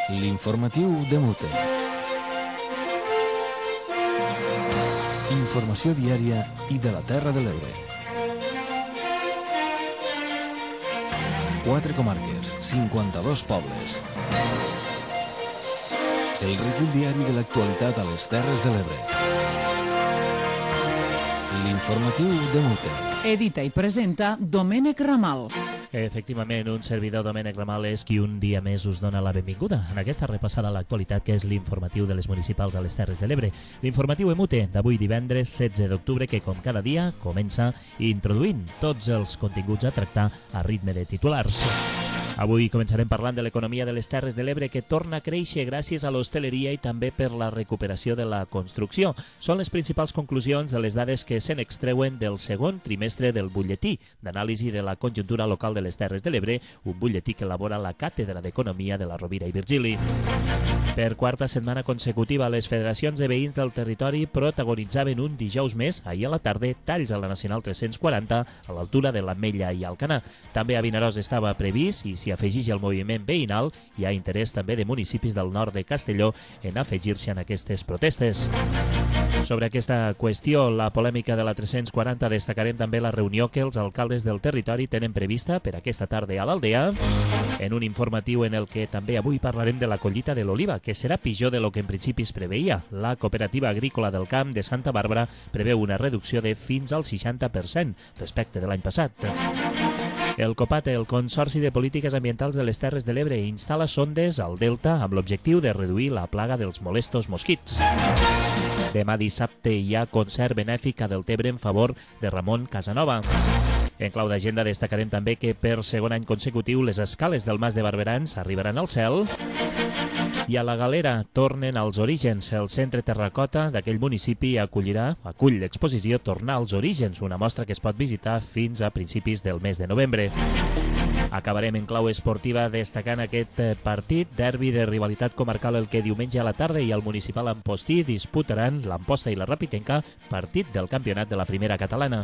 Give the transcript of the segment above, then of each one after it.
L'informatiu de Mute. Informació diària i de la Terra de l'Ebre. 4 comarques, 52 pobles. El recull diari de l'actualitat a les Terres de l'Ebre. L'informatiu de Mute. Edita i presenta Domènec Ramal. Efectivament, un servidor, Domènec Ramal, és qui un dia més us dona la benvinguda en aquesta repassada a l'actualitat que és l'informatiu de les municipals a les Terres de l'Ebre. L'informatiu EMUTE d'avui divendres 16 d'octubre que, com cada dia, comença introduint tots els continguts a tractar a ritme de titulars. Avui començarem parlant de l'economia de les Terres de l'Ebre que torna a créixer gràcies a l'hostaleria i també per la recuperació de la construcció. Són les principals conclusions de les dades que se n'extreuen del segon trimestre del butlletí d'anàlisi de la conjuntura local de les Terres de l'Ebre, un butlletí que elabora la Càtedra d'Economia de la Rovira i Virgili. Per quarta setmana consecutiva, les federacions de veïns del territori protagonitzaven un dijous més, ahir a la tarda, talls a la Nacional 340 a l'altura de l'Ametlla i Alcanar. També a Vinaròs estava previst i s'hi afegeix el moviment veïnal. Hi ha interès també de municipis del nord de Castelló en afegir-se en aquestes protestes. Sobre aquesta qüestió, la polèmica de la 340, destacarem també la reunió que els alcaldes del territori tenen prevista per aquesta tarda a l'Aldea, en un informatiu en el que també avui parlarem de la collita de l'oliva, que serà pitjor de lo que en principi es preveia. La Cooperativa Agrícola del Camp de Santa Bàrbara preveu una reducció de fins al 60% respecte de l'any passat. El COPAT, el Consorci de Polítiques Ambientals de les Terres de l'Ebre, instal·la sondes al Delta amb l'objectiu de reduir la plaga dels molestos mosquits. Demà dissabte hi ha concert benèfic a Deltebre en favor de Ramon Casanova. En clau d'agenda destacarem també que per segon any consecutiu les escales del Mas de Barberans arribaran al cel. I a la Galera tornen als orígens. El centre terracota d'aquell municipi acull l'exposició Tornar als orígens, una mostra que es pot visitar fins a principis del mes de novembre. Acabarem en clau esportiva destacant aquest partit, derbi de rivalitat comarcal el que diumenge a la tarda i el municipal Ampostí disputaran l'Amposta i la Rapitenca, partit del campionat de la primera catalana.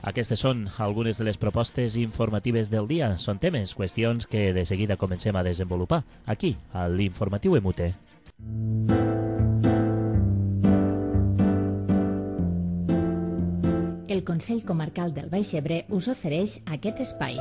Aquestes són algunes de les propostes informatives del dia. Són temes, qüestions que de seguida comencem a desenvolupar aquí, a l'Informatiu EMUTE. El Consell Comarcal del Baix Ebre us ofereix aquest espai.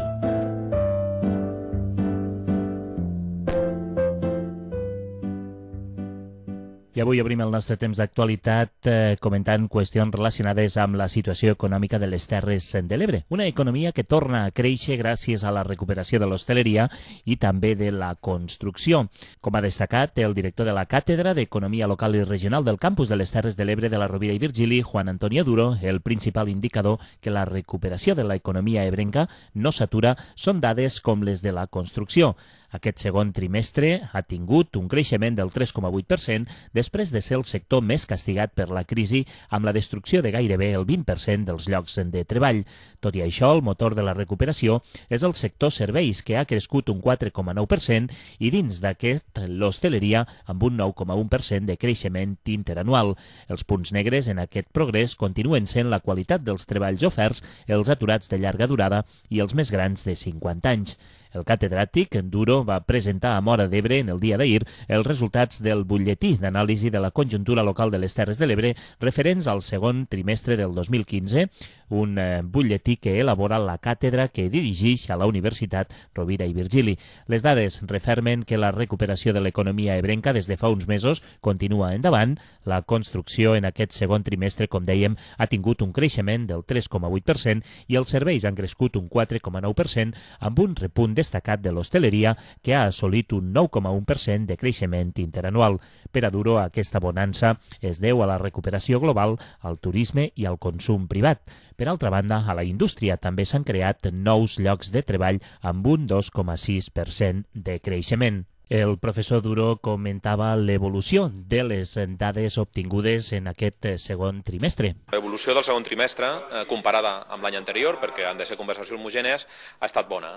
I avui obrim el nostre temps d'actualitat comentant qüestions relacionades amb la situació econòmica de les Terres de l'Ebre. Una economia que torna a créixer gràcies a la recuperació de l'hostaleria i també de la construcció. Com ha destacat el director de la Càtedra d'Economia Local i Regional del Campus de les Terres de l'Ebre de la Rovira i Virgili, Juan Antonio Duro, el principal indicador que la recuperació de l'economia ebrenca no s'atura són dades com les de la construcció. Aquest segon trimestre ha tingut un creixement del 3,8% després de ser el sector més castigat per la crisi amb la destrucció de gairebé el 20% dels llocs de treball. Tot i això, el motor de la recuperació és el sector serveis, que ha crescut un 4,9% i dins d'aquest l'hostaleria amb un 9,1% de creixement interanual. Els punts negres en aquest progrés continuen sent la qualitat dels treballs oferts, els aturats de llarga durada i els més grans de 50 anys. El catedràtic Duro va presentar a Móra d'Ebre en el dia d'ahir els resultats del butlletí d'anàlisi de la conjuntura local de les Terres de l'Ebre referents al segon trimestre del 2015, un butlletí que elabora la càtedra que dirigeix a la Universitat Rovira i Virgili. Les dades refermen que la recuperació de l'economia ebrenca des de fa uns mesos continua endavant. La construcció en aquest segon trimestre, com dèiem, ha tingut un creixement del 3,8% i els serveis han crescut un 4,9% amb un repunt destacat de l'hostaleria, que ha assolit un 9,1% de creixement interanual. Per a Duro, aquesta bonança es deu a la recuperació global, al turisme i al consum privat. Per altra banda, a la indústria també s'han creat nous llocs de treball amb un 2,6% de creixement. El professor Duro comentava l'evolució de les dades obtingudes en aquest segon trimestre. L'evolució del segon trimestre, comparada amb l'any anterior, perquè han de ser conversacions homogènies, ha estat bona.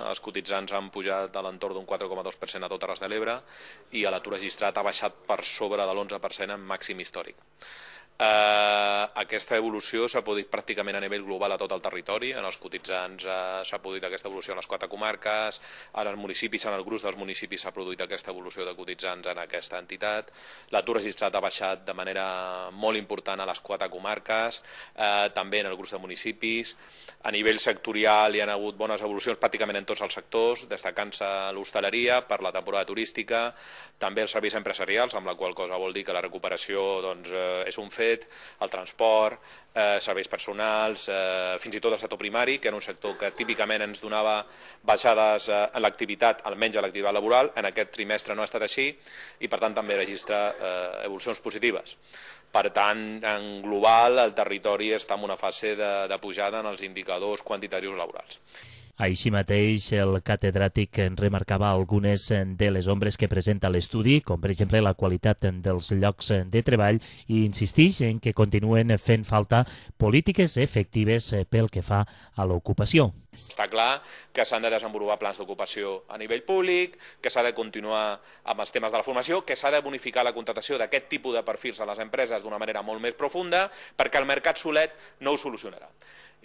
Els cotitzants han pujat a l'entorn d'un 4,2% a totes les de l'Ebre i l'atur registrat ha baixat per sobre de l'11% en màxim històric. Aquesta evolució s'ha produït pràcticament a nivell global a tot el territori. En els cotitzants s'ha produït aquesta evolució en les 4 comarques, en els municipis, en el gruix dels municipis s'ha produït aquesta evolució de cotitzants en aquesta entitat. L'atur registrat ha baixat de manera molt important a les 4 comarques, també en el gruix de municipis. A nivell sectorial hi ha hagut bones evolucions pràcticament en tots els sectors, destacant-se l'hostaleria per la temporada turística, també els serveis empresarials, amb la qual cosa vol dir que la recuperació és un fet, el transport, serveis personals, fins i tot el sector primari, que era un sector que típicament ens donava baixades en l'activitat, almenys a l'activitat laboral. En aquest trimestre no ha estat així i per tant també registra evolucions positives. Per tant, en global, el territori està en una fase de pujada en els indicadors quantitatius laborals. Així mateix, el catedràtic remarcava algunes de les ombres que presenta l'estudi, com per exemple la qualitat dels llocs de treball, i insisteix en que continuen fent falta polítiques efectives pel que fa a l'ocupació. Està clar que s'han de desenvolupar plans d'ocupació a nivell públic, que s'ha de continuar amb els temes de la formació, que s'ha de bonificar la contractació d'aquest tipus de perfils a les empreses d'una manera molt més profunda, perquè el mercat solet no ho solucionarà.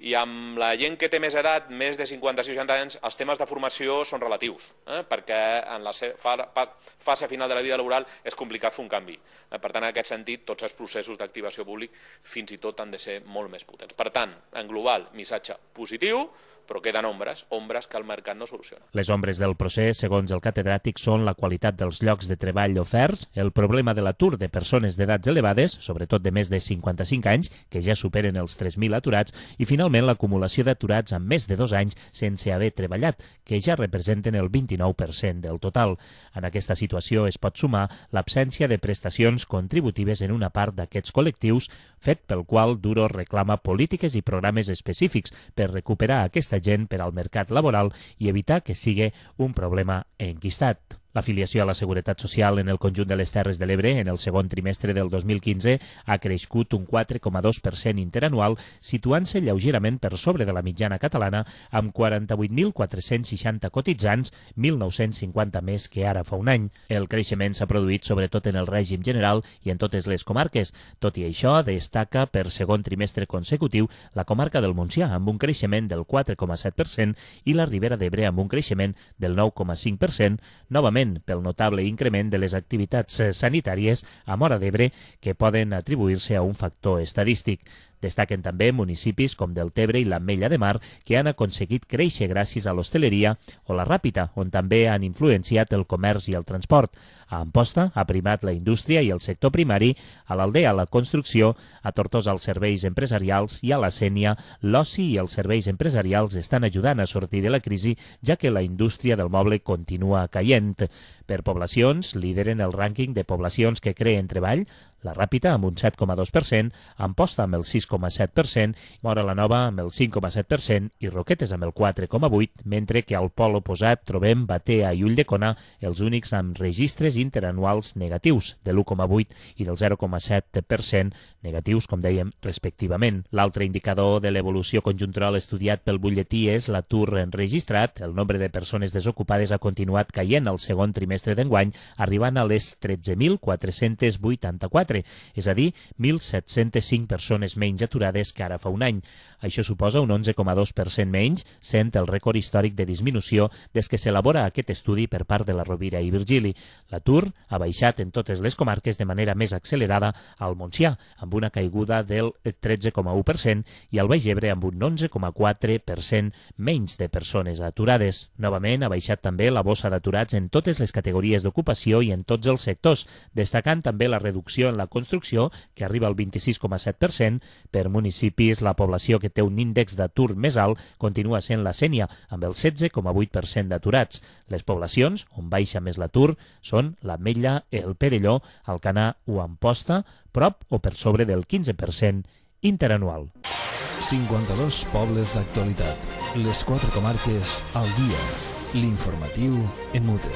I amb la gent que té més edat, més de 50-60 anys, els temes de formació són relatius, perquè en la fase final de la vida laboral és complicat fer un canvi. Per tant, en aquest sentit, tots els processos d'activació públic fins i tot han de ser molt més potents. Per tant, en global, missatge positiu, però queden ombres que el mercat no soluciona. Les ombres del procés, segons el catedràtic, són la qualitat dels llocs de treball oferts, el problema de l'atur de persones d'edats elevades, sobretot de més de 55 anys, que ja superen els 3.000 aturats, i finalment l'acumulació d'aturats amb més de 2 anys sense haver treballat, que ja representen el 29% del total. En aquesta situació es pot sumar l'absència de prestacions contributives en una part d'aquests col·lectius, fet pel qual Duro reclama polítiques i programes específics per recuperar aquesta gent per al mercat laboral i evitar que sigui un problema enquistat. L'afiliació a la Seguretat Social en el conjunt de les Terres de l'Ebre en el segon trimestre del 2015 ha crescut un 4,2% interanual, situant-se lleugerament per sobre de la mitjana catalana amb 48.460 cotitzants, 1.950 més que ara fa un any. El creixement s'ha produït sobretot en el règim general i en totes les comarques. Tot i això, destaca per segon trimestre consecutiu la comarca del Montsià amb un creixement del 4,7% i la Ribera d'Ebre amb un creixement del 9,5%, novament pel notable increment de les activitats sanitàries a Móra d'Ebre que poden atribuir-se a un factor estadístic. Destaquen també municipis com Deltebre i l'Ametlla de Mar que han aconseguit créixer gràcies a l'hostaleria o la Ràpita, on també han influenciat el comerç i el transport. A Amposta ha primat la indústria i el sector primari, a l'Aldea la construcció, a Tortosa els serveis empresarials i a la Sénia l'oci i els serveis empresarials estan ajudant a sortir de la crisi, ja que la indústria del moble continua caient. Per poblacions, lideren el rànquing de poblacions que creen treball, la Ràpita amb un 7,2%, Amposta amb el 6,7%, Móra la Nova amb el 5,7% i Roquetes amb el 4,8%, mentre que al pol oposat trobem Batea i Ulldecona els únics amb registres interanuals negatius, de l'1,8% i del 0,7% negatius, com dèiem, respectivament. L'altre indicador de l'evolució conjuntural estudiat pel butlletí és l'atur enregistrat. El nombre de persones desocupades ha continuat caient al segon trimestre d'enguany, arribant a les 13.484, és a dir, 1.705 persones menys aturades que ara fa un any. Això suposa un 11,2% menys, sent el rècord històric de disminució des que s'elabora aquest estudi per part de la Rovira i Virgili. L'atur ha baixat en totes les comarques de manera més accelerada al Montsià, amb una caiguda del 13,1% i al Baix Ebre amb un 11,4% menys de persones aturades. Novament ha baixat també la bossa d'aturats en totes les categories d'ocupació i en tots els sectors, destacant també la reducció en la construcció, que arriba al 26,7%. Per municipis, la població que té un índex d'atur més alt continua sent la Sénia, amb el 16,8% d'aturats. Les poblacions on baixa més l'atur són l'Ametlla, el Perelló, Alcanar o Amposta, prop o per sobre del 15% interanual. 52 pobles d'actualitat. Les 4 comarques al dia. L'informatiu EMUTE.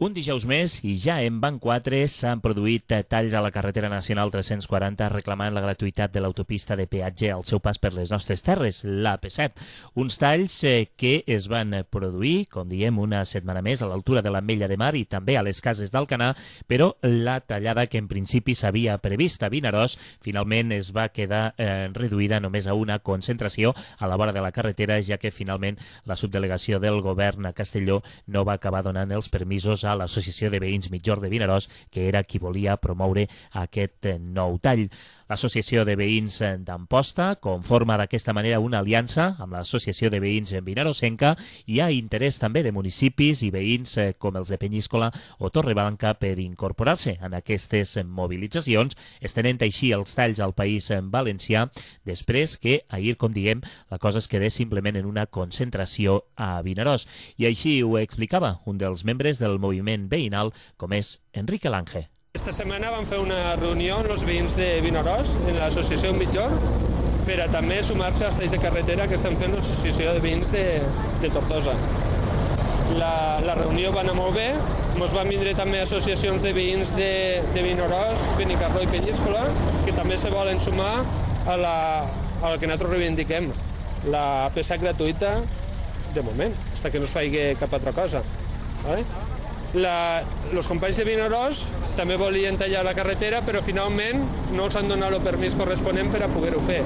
Un dijous més i ja en van 4 s'han produït talls a la carretera nacional 340 reclamant la gratuïtat de l'autopista de peatge al seu pas per les nostres terres, l'AP7. Uns talls que es van produir, com diem, una setmana més a l'altura de l'Ametlla de Mar i també a les Cases d'Alcanar, però la tallada que en principi s'havia previst a Vinaròs finalment es va quedar reduïda només a una concentració a la vora de la carretera, ja que finalment la subdelegació del govern a Castelló no va acabar donant els permisos a l'Associació de Veïns Mitjor de Vinaròs, que era qui volia promoure aquest nou tall. L'Associació de Veïns d'Amposta conforma d'aquesta manera una aliança amb l'Associació de Veïns Vinarosenca. Hi ha interès també de municipis i veïns com els de Penyíscola o Torreblanca per incorporar-se en aquestes mobilitzacions, estenent així els talls al País Valencià, després que ahir, com diem, la cosa es quedés simplement en una concentració a Vinaròs. I així ho explicava un dels membres del moviment veïnal, com és Enrique Lange. Esta setmana vam fer una reunió amb els veïns de Vinaròs, en l'associació Mitjor, per a també sumar-se als talls de carretera que estem fent l'associació de veïns de Tortosa. La reunió va anar molt bé, ens van vindre també associacions de veïns de Vinaròs, Benicarló i Penyíscola, que també se volen sumar al que nosaltres reivindiquem, la AP7 gratuïta de moment, fins que no es faci cap altra cosa. ¿Vale? Els companys de Vinaròs també volien tallar la carretera, però finalment no els han donat el permís corresponent per a poder-ho fer.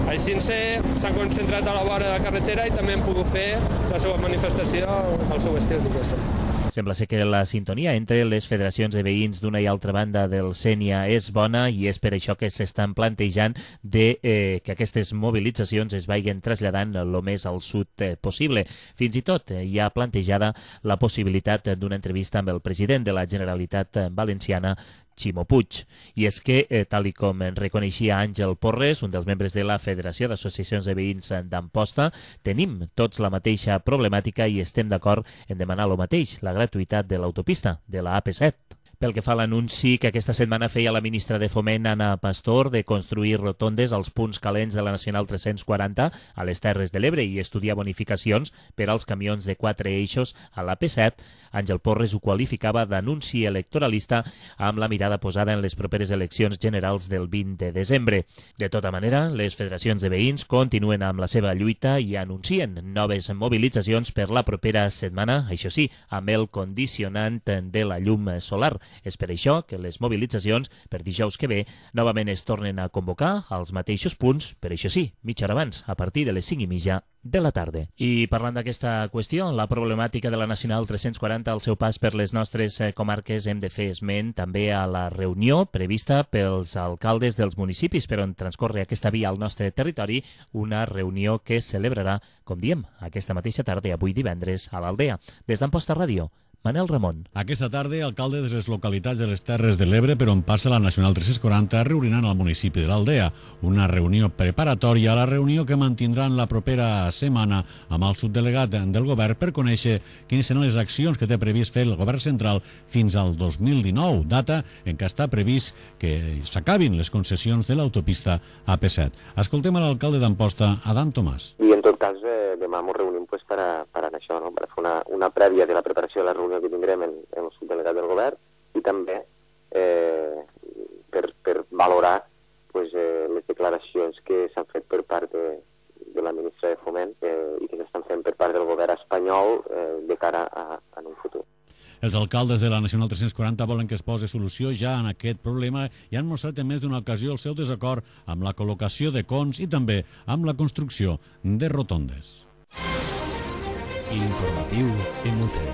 Així s'han concentrat a la vora de la carretera i també han pogut fer la seva manifestació al seu estil, diguéssim. Sembla ser que la sintonia entre les federacions de veïns d'una i altra banda del Sénia és bona i és per això que s'estan plantejant que aquestes mobilitzacions es vagin traslladant el més al sud possible. Fins i tot hi ha plantejada la possibilitat d'una entrevista amb el president de la Generalitat Valenciana, Ximo Puig. I és que, tal com reconeixia Àngel Porres, un dels membres de la Federació d'Associacions de Veïns d'Amposta, tenim tots la mateixa problemàtica i estem d'acord en demanar el mateix, la gratuïtat de l'autopista, de la AP7. Pel que fa a l'anunci que aquesta setmana feia la ministra de Foment, Ana Pastor, de construir rotondes als punts calents de la Nacional 340 a les Terres de l'Ebre i estudiar bonificacions per als camions de 4 eixos a l'AP7, Àngel Porres ho qualificava d'anunci electoralista amb la mirada posada en les properes eleccions generals del 20 de desembre. De tota manera, les federacions de veïns continuen amb la seva lluita i anuncien noves mobilitzacions per la propera setmana, això sí, amb el condicionant de la llum solar. És per això que les mobilitzacions per dijous que ve novament es tornen a convocar als mateixos punts, per això sí, mitja hora abans, a partir de les 5:30 de la tarda. I parlant d'aquesta qüestió, la problemàtica de la Nacional 340 al seu pas per les nostres comarques, hem de fer esment també a la reunió prevista pels alcaldes dels municipis per on transcorre aquesta via al nostre territori, una reunió que es celebrarà, com diem, aquesta mateixa tarda, avui divendres, a l'Aldea. Des d'Amposta Ràdio, Manel Ramon. Aquesta tarda, alcaldes de les localitats de les Terres de l'Ebre per on passa la Nacional 340 reuniran al municipi de l'Aldea. Una reunió preparatòria a la reunió que mantindran la propera setmana amb el subdelegat del govern per conèixer quines seran les accions que té previst fer el govern central fins al 2019, data en què està previst que s'acabin les concessions de l'autopista AP7. Escoltem a l'alcalde d'Amposta, Adam Tomàs. I en tot cas, demà ens reunim per a això, no? Per fer una prèvia de la preparació de la reunió que tindrem en el subdelegat del govern i també per valorar les declaracions que s'han fet per part de la ministra de Foment i que s'estan fent per part del govern espanyol de cara a un futur. Els alcaldes de la Nacional 340 volen que es posi solució ja en aquest problema i han mostrat en més d'una ocasió el seu desacord amb la col·locació de cons i també amb la construcció de rotondes. Informatiu MUTE.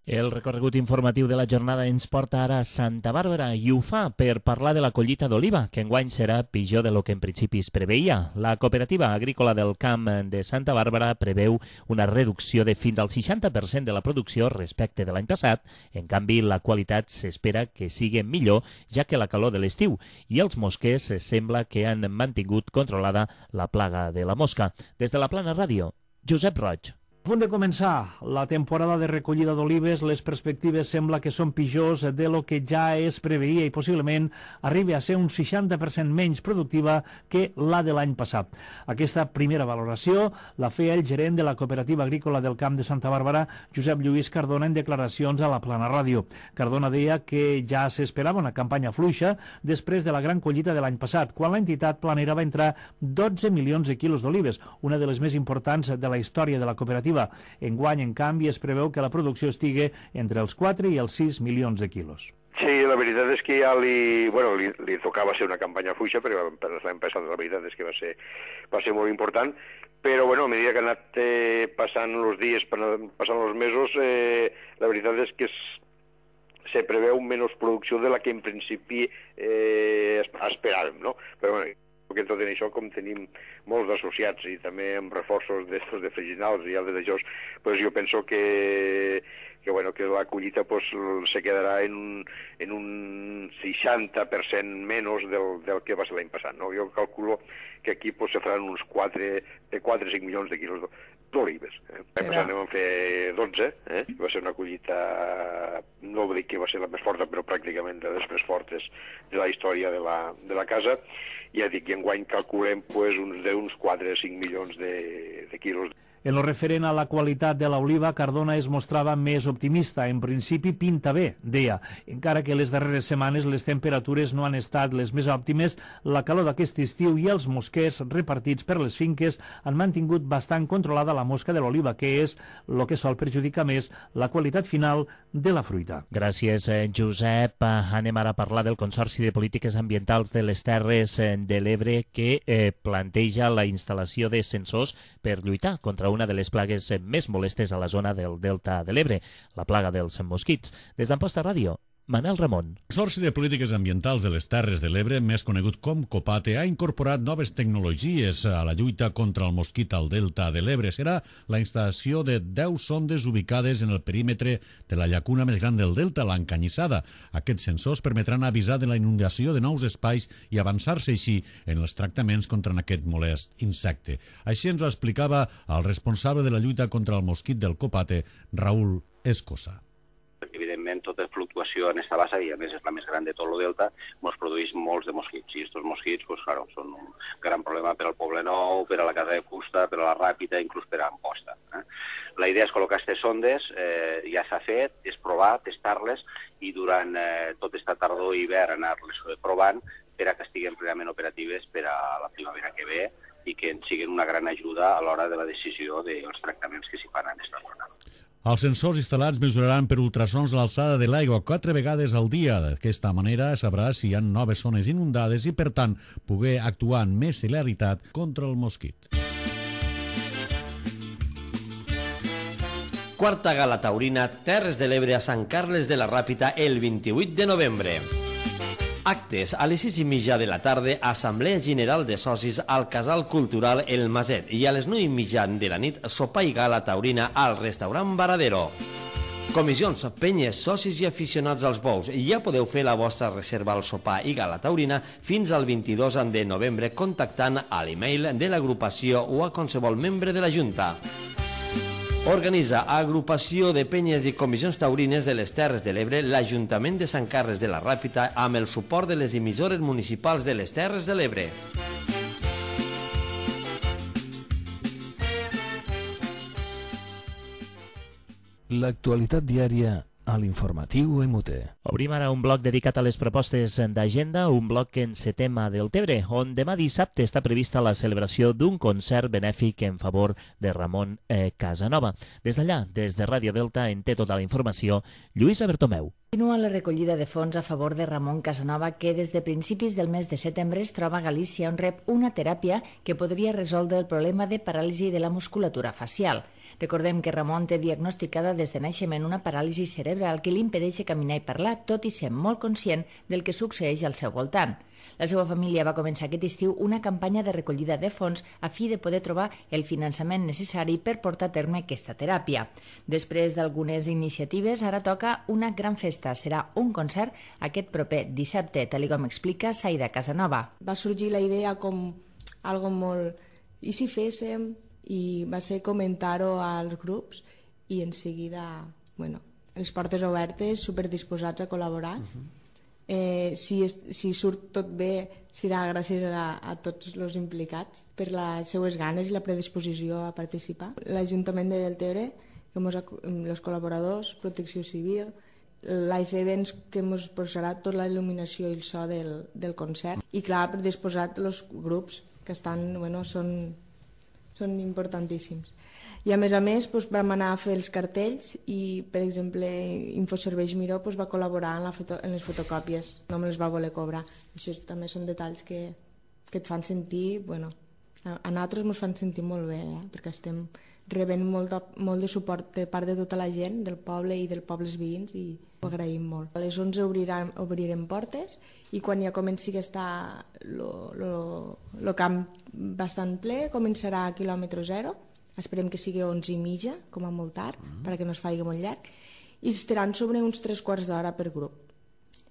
El recorregut informatiu de la jornada ens porta ara a Santa Bàrbara i ho fa per parlar de la collita d'oliva, que enguany serà pitjor de lo que en principi es preveia. La cooperativa agrícola del camp de Santa Bàrbara preveu una reducció de fins al 60% de la producció respecte de l'any passat. En canvi, la qualitat s'espera que sigui millor, ja que la calor de l'estiu i els mosquers sembla que han mantingut controlada la plaga de la mosca. Des de la Plana Ràdio, Josep Roig. punt de començar la temporada de recollida d'olives, les perspectives sembla que són pitjors de lo que ja es preveia i possiblement arribi a ser un 60% menys productiva que la de l'any passat. Aquesta primera valoració la feia el gerent de la Cooperativa Agrícola del Camp de Santa Bàrbara, Josep Lluís Cardona, en declaracions a la Plana Ràdio. Cardona deia que ja s'esperava una campanya fluixa després de la gran collita de l'any passat, quan l'entitat planera va entrar 12 milions de quilos d'olives, una de les més importants de la història de la cooperativa. Enguany, en canvi, es preveu que la producció estigui entre els 4 i els 6 milions de quilos. Sí, la veritat és que ja li tocava ser una campanya fluixa, però per l'any passat la veritat és que va ser molt important, però bueno, a mesura que han anat passant els dies, passant els mesos, la veritat és que se preveu menys producció de la que en principi esperàvem, no? Però bueno, perquè tot en això, com tenim molts associats i també amb reforços d'estos de freginals i altres d'això, pues jo penso que la collita se quedarà en un 60% menys del que va ser l'any passat. No? Jo calculo que aquí se faran uns 4 o 5 milions de quilos d'olives. L'any passat vam fer 12, va ser una collita, no vull dir que va ser la més forta, però pràcticament de les més fortes de la història de la casa. Ja dic, i enguany calculem uns 4 o 5 milions de quilos. En lo referent a la qualitat de l'oliva, Cardona es mostrava més optimista. En principi pinta bé, deia. Encara que les darreres setmanes les temperatures no han estat les més òptimes, la calor d'aquest estiu i els mosquers repartits per les finques han mantingut bastant controlada la mosca de l'oliva, que és el que sol perjudicar més la qualitat final de la fruita. Gràcies, Josep. Anem ara a parlar del Consorci de Polítiques Ambientals de les Terres de l'Ebre, que planteja la instal·lació de sensors per lluitar contra una de les plagues més molestes a la zona del Delta de l'Ebre, la plaga dels mosquits. Des d'Amposta Ràdio, Manel Ramon. El Consorci de Polítiques Ambientals de les Terres de l'Ebre, més conegut com COPATE, ha incorporat noves tecnologies a la lluita contra el mosquit al Delta de l'Ebre. Serà la instal·lació de 10 sondes ubicades en el perímetre de la llacuna més gran del Delta, l'Encanyissada. Aquests sensors permetran avisar de la inundació de nous espais i avançar-se així en els tractaments contra aquest molest insecte. Així ens ho explicava el responsable de la lluita contra el mosquit del COPATE, Raül Escosa. Evidentment, tota fluctuació en esta bassa, i a més és la més gran de tot el delta, ens produeix molts de mosquits. I aquests mosquits són un gran problema per al Poble Nou, per a la Casa de Fusta, per a la Ràpita, inclús per a Amposta. La idea és col·locar aquestes sondes, ja s'ha fet, és provar, testar-les, i durant tot aquesta tardor i hivern anar-les provant per a que estiguin plenament operatives per a la primavera que ve i que ens siguin una gran ajuda a l'hora de la decisió dels tractaments que s'hi fan en aquesta zona. Els sensors instal·lats mesuraran per ultrasons l'alçada de l'aigua 4 vegades al dia. D'aquesta manera sabrà si hi ha noves zones inundades i, per tant, poder actuar amb més celeritat contra el mosquit. Quarta gala taurina Terres de l'Ebre a Sant Carles de la Ràpita el 28 de novembre. Actes a les 6:30 de la tarda, Assemblea General de Socis al Casal Cultural El Maset, i a les 9:30 de la nit, sopar i gala taurina al restaurant Varadero. Comissions, penyes, socis i aficionats als bous, ja podeu fer la vostra reserva al sopar i gala taurina fins al 22 de novembre contactant a l'email de l'agrupació o a qualsevol membre de la Junta. Organitza Agrupació de Penyes i Comissions Taurines de les Terres de l'Ebre l'Ajuntament de Sant Carles de la Ràpita amb el suport de les emissores municipals de les Terres de l'Ebre. L'actualitat diària a l'informatiu MUT. Obrim ara un bloc dedicat a les propostes d'agenda, un bloc en Setema del Tebre, on demà dissabte està prevista la celebració d'un concert benèfic en favor de Ramon Casanova. Des d'allà, des de Ràdio Delta, en té tota la informació Lluïsa Bertomeu. Continua la recollida de fons a favor de Ramon Casanova, que des de principis del mes de setembre es troba a Galícia, on rep una teràpia que podria resoldre el problema de paràlisi de la musculatura facial. Recordem que Ramon té diagnosticada des de naixement una paràlisi cerebral que li impedeix caminar i parlar, tot i ser molt conscient del que succeeix al seu voltant. La seva família va començar aquest estiu una campanya de recollida de fons a fi de poder trobar el finançament necessari per portar a terme aquesta teràpia. Després d'algunes iniciatives, ara toca una gran festa. Serà un concert aquest proper dissabte, tal com explica Saida Casanova. Va sorgir la idea com algo molt... I si féssim... i va ser comentar-ho als grups i en seguida, les portes obertes, superdisposats a col·laborar. Si surt tot bé serà gràcies a tots els implicats per les seues ganes i la predisposició a participar. L'Ajuntament de Deltebre, els col·laboradors, Protecció Civil, l'AIF Events, que ens posarà tota la il·luminació i el so del concert, i clar, predisposat els grups que estan, són importantíssims. I a més vam anar a fer els cartells i, per exemple, Infoserveis Miró va col·laborar en les fotocòpies, no me les va voler cobrar. Això també són detalls que et fan sentir, a nosaltres ens fan sentir molt bé, perquè estem rebent molt de suport de part de tota la gent del poble i dels pobles veïns i ho agraïm molt. A les 11 obrirem portes i quan ja comenci a estar el camp bastant ple, començarà a quilòmetre zero. Esperem que sigui 11:30, com a molt tard, perquè no es faci molt llarg, i estaran sobre uns 3/4 d'hora per grup.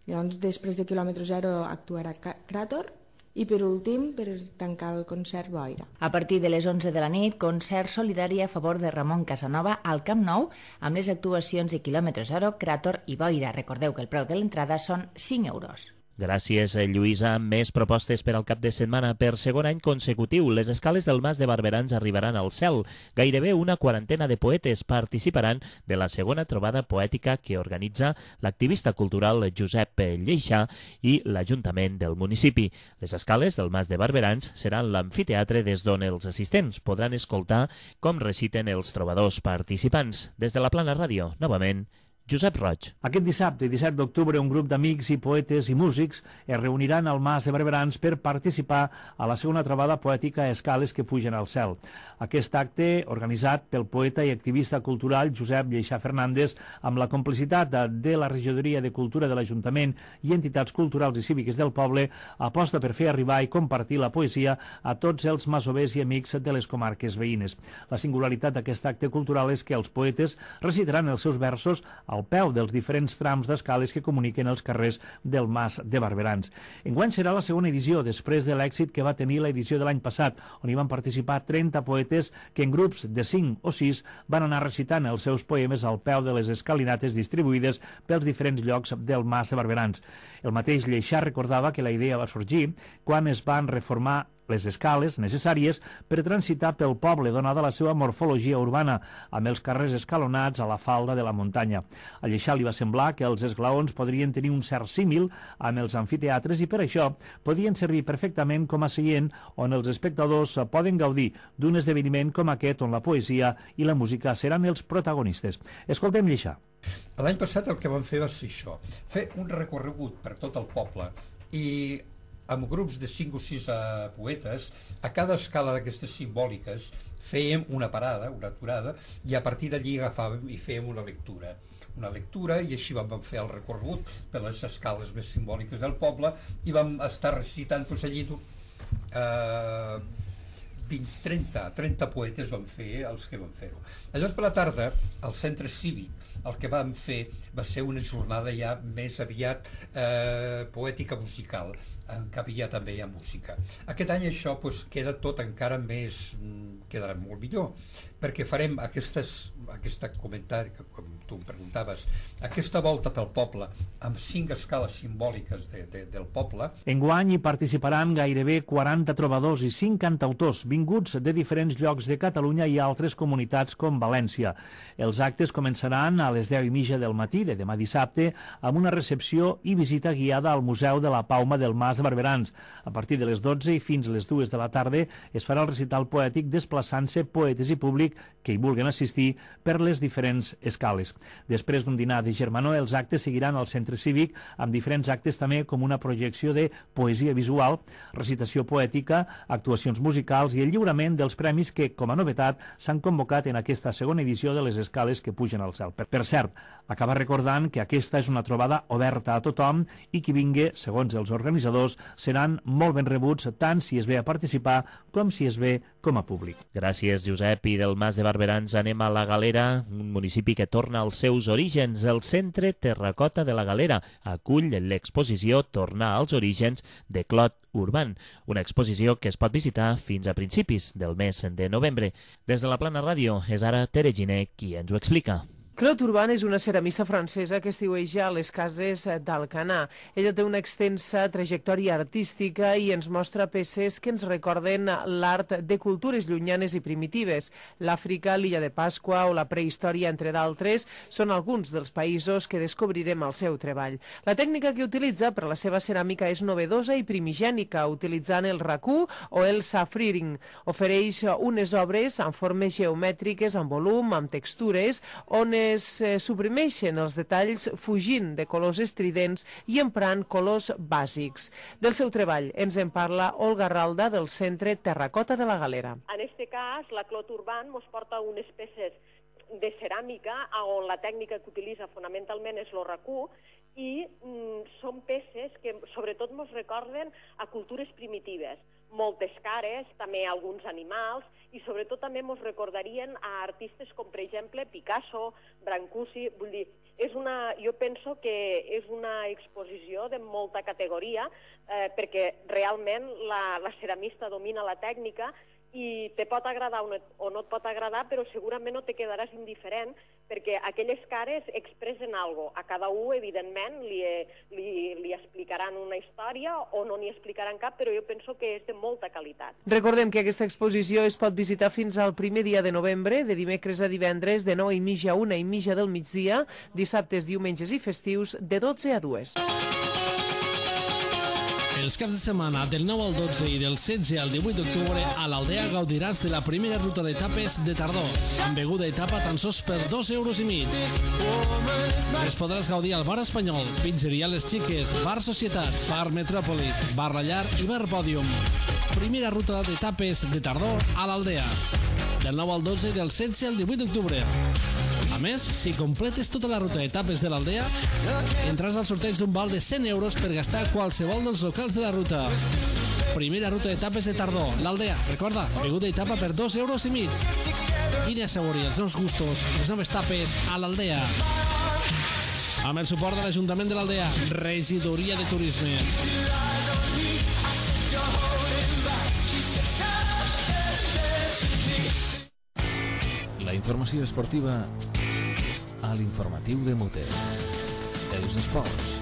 Llavors, després de quilòmetre zero actuarà Cràtor i, per últim, per tancar el concert, Boira. A partir de les 11 de la nit, concert solidari a favor de Ramon Casanova al Camp Nou, amb les actuacions de quilòmetre zero, Cràtor i Boira. Recordeu que el preu de l'entrada són 5 euros. Gràcies, Lluïsa. Més propostes per al cap de setmana. Per segon any consecutiu, les escales del Mas de Barberans arribaran al cel. Gairebé una quarantena de poetes participaran de la segona trobada poètica que organitza l'activista cultural Josep Lleixà i l'Ajuntament del municipi. Les escales del Mas de Barberans seran l'amfiteatre des d'on els assistents podran escoltar com reciten els trobadors participants. Des de la Plana Ràdio, novament, Josep Roig. Aquest dissabte, 17 d'octubre, un grup d'amics i poetes i músics es reuniran al Mas de Barberans per participar a la segona trobada poètica a escales que pugen al cel. Aquest acte, organitzat pel poeta i activista cultural Josep Lleixà Fernández, amb la complicitat de la Regidoria de Cultura de l'Ajuntament i entitats culturals i cíviques del poble, aposta per fer arribar i compartir la poesia a tots els masovers i amics de les comarques veïnes. La singularitat d'aquest acte cultural és que els poetes recitaran els seus versos al peu dels diferents trams d'escales que comuniquen els carrers del Mas de Barberans. Enguany serà la segona edició, després de l'èxit que va tenir l'edició de l'any passat, on hi van participar 30 poetes que en grups de 5 o 6 van anar recitant els seus poemes al peu de les escalinates distribuïdes pels diferents llocs del Mas de Barberans. El mateix Lleixà recordava que la idea va sorgir quan es van reformar les escales necessàries per transitar pel poble, donada la seva morfologia urbana, amb els carrers escalonats a la falda de la muntanya. A Lleixà li va semblar que els esglaons podrien tenir un cert símil amb els amfiteatres i per això podien servir perfectament com a seient on els espectadors poden gaudir d'un esdeveniment com aquest on la poesia i la música seran els protagonistes. Escoltem Lleixà. L'any passat el que vam fer va ser això, fer un recorregut per tot el poble i amb grups de 5 o 6 poetes, a cada escala d'aquestes simbòliques fèiem una parada, una aturada, i a partir d'allí agafàvem i fèiem una lectura i així vam fer el recorregut per les escales més simbòliques del poble i vam estar recitant allí 30 poetes van fer els que van fer-ho. Llavors per la tarda, al centre cívic, el que vam fer va ser una jornada ja més aviat poètica musical, en què havia també hi ha música. Aquest any això queda tot encara més, quedarà molt millor, perquè farem aquesta comentari, com tu em preguntaves, aquesta volta pel poble, amb 5 escales simbòliques del poble. Enguany hi participaran gairebé 40 trobadors i 5 cantautors vinguts de diferents llocs de Catalunya i altres comunitats com València. Els actes començaran a les 10:30 del matí de demà dissabte amb una recepció i visita guiada al Museu de la Pauma del Mas de Barberans. A partir de les 12 i fins a les 2 de la tarda es farà el recital poètic desplaçant-se poetes i públic que hi vulguin assistir per les diferents escales. Després d'un dinar de germanor, els actes seguiran al centre cívic amb diferents actes també com una projecció de poesia visual, recitació poètica, actuacions musicals i el lliurament dels premis que, com a novetat, s'han convocat en aquesta segona edició de les escales que pugen al cel. Per cert, acaba recordant que aquesta és una trobada oberta a tothom i qui vingui, segons els organitzadors, seran molt ben rebuts tant si es ve a participar com si es ve com a públic. Gràcies, Josep. I del Mas de Barberans anem a la Galera, un municipi que torna als seus orígens. El Centre Terracota de la Galera acull l'exposició Tornar als orígens de Clot Urban, una exposició que es pot visitar fins a principis del mes de novembre. Des de la Plana Ràdio és ara Tere Giner qui ens ho explica. Clot Urban és una ceramista francesa que estiueja a les cases d'Alcanar. Ella té una extensa trajectòria artística i ens mostra peces que ens recorden l'art de cultures llunyanes i primitives. L'Àfrica, l'illa de Pasqua o la prehistòria, entre d'altres, són alguns dels països que descobrirem al seu treball. La tècnica que utilitza per a la seva ceràmica és novedosa i primigènica, utilitzant el racú o el safriring. Ofereix unes obres amb formes geomètriques, amb volum, amb textures, on suprimeixen els detalls fugint de colors estridents i emprant colors bàsics. Del seu treball ens en parla Olga Ralda del Centre Terracota de la Galera. En este cas, la Clot Urban ens porta unes peces de ceràmica on la tècnica que utilitza fonamentalment és el racú i són peces que sobretot ens recorden a cultures primitives. Moltes cares, també alguns animals, i sobretot també ens recordarien a artistes com, per exemple, Picasso, Brancusi. Vull dir, jo penso que és una exposició de molta categoria perquè realment la ceramista domina la tècnica i te pot agradar o no et pot agradar, però segurament no te quedaràs indiferent perquè aquelles cares expressen alguna cosa. A cada un, evidentment, li explicaran una història o no n'hi explicaran cap, però jo penso que és de molta qualitat. Recordem que aquesta exposició es pot visitar fins al primer dia de novembre, de dimecres a divendres, de 9:30 a 1:30 del migdia, dissabtes, diumenges i festius, de 12 a 2. Els caps de setmana del 9 al 12 i del 16 al 18 d'octubre a l'Aldea gaudiràs de la primera ruta d'etapes de tardor, amb beguda i tapa tan sols per 2,5 €. Les podràs gaudir al Bar Espanyol, Pizzeria Les Xiques, Bar Societat, Bar Metròpolis, Bar La Llar i Bar Pòdium. Primera ruta d'etapes de tardor a l'Aldea, del 9 al 12 i del 16 al 18 d'octubre. A més, si completes tota la ruta d'etapes de l'Aldea, entraràs al sorteig d'un val de 100 € per gastar a qualsevol dels locals de la ruta. Primera ruta d'etapes de tardor, l'Aldea. Recorda, beguda i tapa per 2,5 €. Vine a assaborir els nous gustos i les noves tapes a l'Aldea. Amb el suport de l'Ajuntament de l'Aldea, Regidoria de Turisme. La informació esportiva a l'informatiu de Mute. Els esports.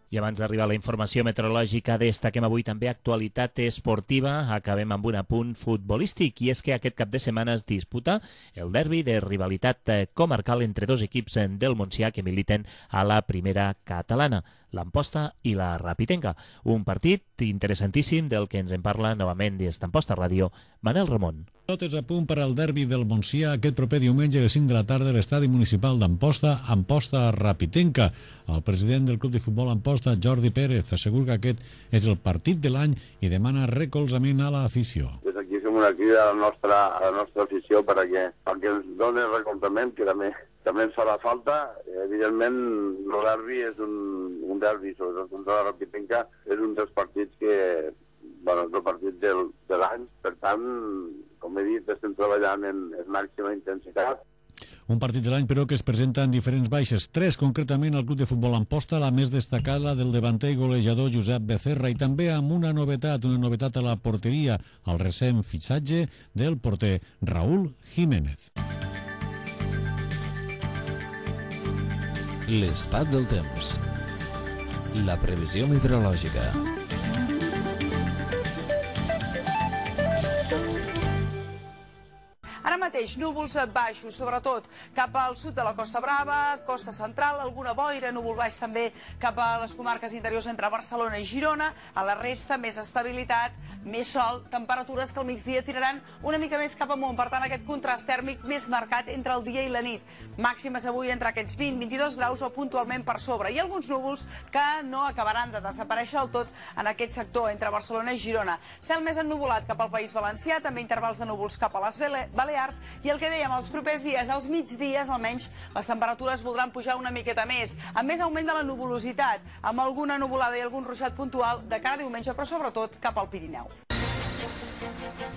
I abans d'arribar a la informació meteorològica, destaquem avui també actualitat esportiva. Acabem amb un apunt futbolístic, i és que aquest cap de setmana es disputa el derbi de rivalitat comarcal entre dos equips del Montsià que militen a la primera catalana, l'Amposta i la Rapitenca. Un partit interessantíssim del que ens en parla novament des d'Amposta Ràdio, Manel Ramon. Tot és a punt per al derbi del Montsià aquest proper diumenge a les 5 de la tarda a l'estadi municipal d'Amposta, Amposta-Rapitenca. El president del club de futbol Amposta, Jordi Pérez, assegura que aquest és el partit de l'any i demana recolzament a l'afició. Des d'aquí fem una crida a la nostra afició perquè ens doni recolzament, que també ens farà falta. Evidentment, el derbi és un derbi, sobretot contra la Rapitenca, és un dels partits que, és el partit de l'any. Per tant, com he dit, estem treballant en màxima intensitat. Un partit de l'any, però, que es presenta en diferents baixes. 3, concretament, al club de futbol Amposta, la més destacada del davanter i golejador Josep Becerra, i també amb una novetat a la porteria, el recent fitxatge del porter Raúl Jiménez. L'estat del temps. La previsió meteorològica. Ara mateix, núvols baixos, sobretot cap al sud de la Costa Brava, Costa Central, alguna boira, núvol baix també cap a les comarques interiors entre Barcelona i Girona. A la resta, més estabilitat, més sol, temperatures que al migdia tiraran una mica més cap amunt. Per tant, aquest contrast tèrmic més marcat entre el dia i la nit. Màximes avui entre aquests 20-22 graus o puntualment per sobre. I alguns núvols que no acabaran de desaparèixer del tot en aquest sector entre Barcelona i Girona. Cel més ennuvolat cap al País Valencià, també intervals de núvols cap a les Balears, i el que dèiem, els propers dies, als migdies almenys, les temperatures voldran pujar una miqueta més, amb més augment de la nuvolositat, amb alguna nuvolada i algun ruixat puntual de cara a diumenge, però sobretot cap al Pirineu.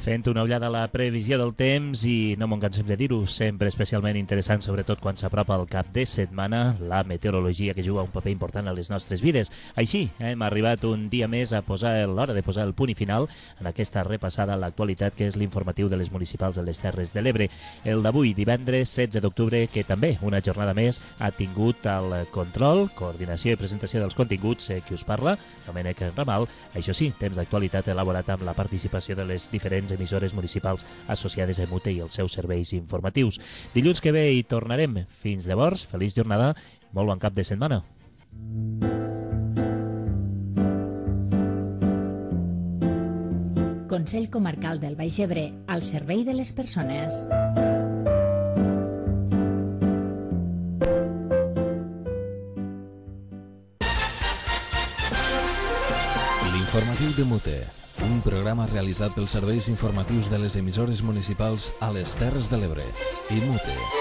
Fent una ullada a la previsió del temps i no m'ho cansem de dir-ho, sempre especialment interessant, sobretot quan s'apropa el cap de setmana, la meteorologia que juga un paper important a les nostres vides. Així, hem arribat un dia més a posar l'hora de posar el punt i final en aquesta repassada a l'actualitat que és l'informatiu de les municipals de les Terres de l'Ebre. El d'avui, divendres 16 d'octubre, que també una jornada més ha tingut el control, coordinació i presentació dels continguts qui us parla, Domènec Ramal. Això sí, temps d'actualitat elaborat amb la participació de les diferents emissores municipals associades a EMUTE i els seus serveis informatius. Dilluns que ve hi tornarem. Fins llavors, feliç jornada, molt bon cap de setmana. Consell Comarcal del Baix Ebre, al servei de les persones. L'informatiu de MUTE, un programa realitzat pels serveis informatius de les emissores municipals a les Terres de l'Ebre i MUTE.